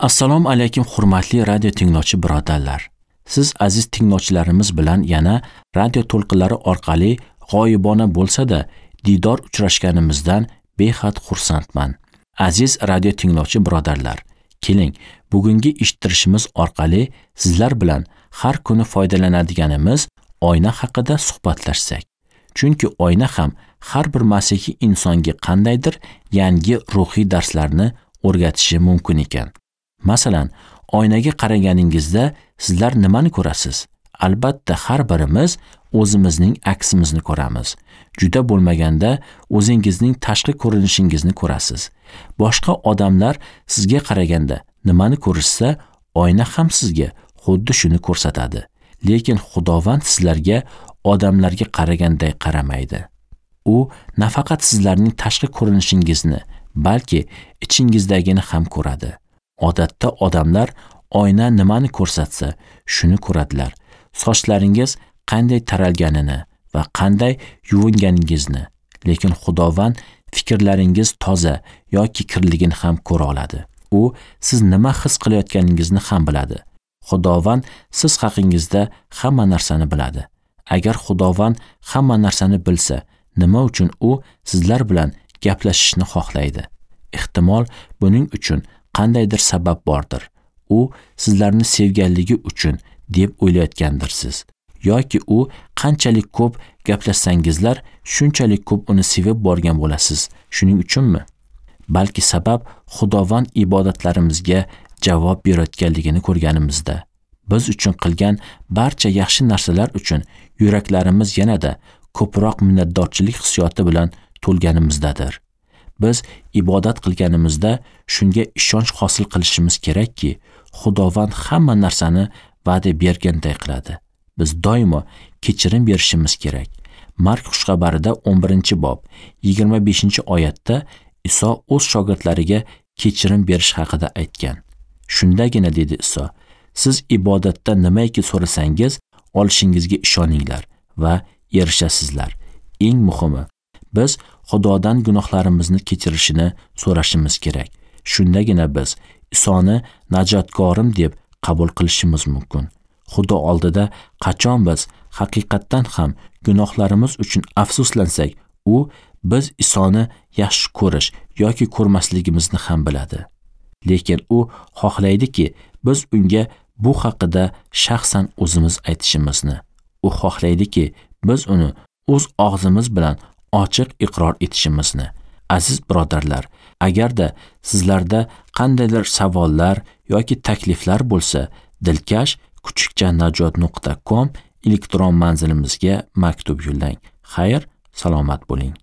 Assalomu alaykum hurmatli radio tinglovchi birodarlar. Siz aziz tinglovchilarimiz bilan yana radio to'lqinlari orqali g'oyibona bo'lsa-da diydor uchrashganimizdan behad xursandman. Aziz radio tinglovchi birodarlar, keling, bugungi eshittirishimiz orqali sizlar bilan har kuni foydalanadiganimiz oyna haqida suhbatlashsak. Chunki oyna ham har bir masihiy insonga qandaydir yangi ruhiy darslarni o'rgatishi mumkin ekan. Masalan, oynaga qaraganingizda sizlar nimani ko'rasiz? Albatta, har birimiz o'zimizning aksimizni ko'ramiz. Juda bo'lmaganda o'zingizning tashqi ko'rinishingizni ko'rasiz. Boshqa odamlar sizga qaraganda nimani ko'rishsa, oyna ham sizga xuddi shuni ko'rsatadi. Lekin Xudovand sizlarga odamlarga qaraganday qaramaydi. U nafaqat sizlarning tashqi ko'rinishingizni, balki ichingizdagini ham ko'radi. Odatda odamlar oyna nimani ko'rsatsa, shuni ko'radilar. Sochlaringiz qanday taralganini va qanday yuvinganingizni, lekin Xudovand fikrlaringiz toza yoki kirligini ham ko'ra oladi. U siz nima his qilayotganingizni ham biladi. Xudovand siz haqingizda hamma narsani biladi. Agar Xudovand hamma narsani bilsa, nima uchun u sizlar bilan gaplashishni xohlaydi? Ehtimol buning uchun qandaydir sabab bordir. U sizlarni sevganligi uchun deb o'ylayotgandirsiz. Yoki u qanchalik ko'p gaplashsangizlar, shunchalik ko'p uni sevib borgan bo'lasiz. Shuning uchunmi? Balki sabab Xudovand ibodatlarimizga javob berayotganligini ko'rganimizda, biz uchun qilgan barcha yaxshi narsalar uchun yuraklarimiz yanada ko'proq minnatdorchilik hissiyoti bilan to'lganimizdadir. Biz ibodat qilganimizda shunga ishonch hosil qilishimiz kerakki, Xudovand hamma narsani va'da berganday qiladi. Biz doimo kechirim berishimiz kerak. Mark xushxabarida 11-bob 25-oyatda Iso o'z shogirdlariga kechirim berish haqida aytgan. Shundagina dedi Iso, siz ibodatda nimaiki so'rasangiz, olishingizga ishoninglar va erishasizlar. Eng muhimi, biz Xudodan gunohlarimizni kechirishini so'rashimiz kerak. Shundagina biz Isoni najotkorim deb qabul qilishimiz mumkin. Xudo oldida qachon biz haqiqatdan ham gunohlarimiz uchun afsuslansak, u biz Isoni yaxshi ko'rish yoki ko'rmasligimizni ham biladi. Lekin u xohlaydiki, biz unga bu haqida shaxsan o'zimiz aytishimizni. U xohlaydiki, biz uni o'z og'zimiz bilan ochiq iqror etishimizni. Aziz birodarlar, agarda sizlarda qandaydir savollar yoki takliflar bo'lsa, dilkash kuchukchanajot.com elektron manzilimizga maktub yo'llang. Xayr, salomat bo'ling.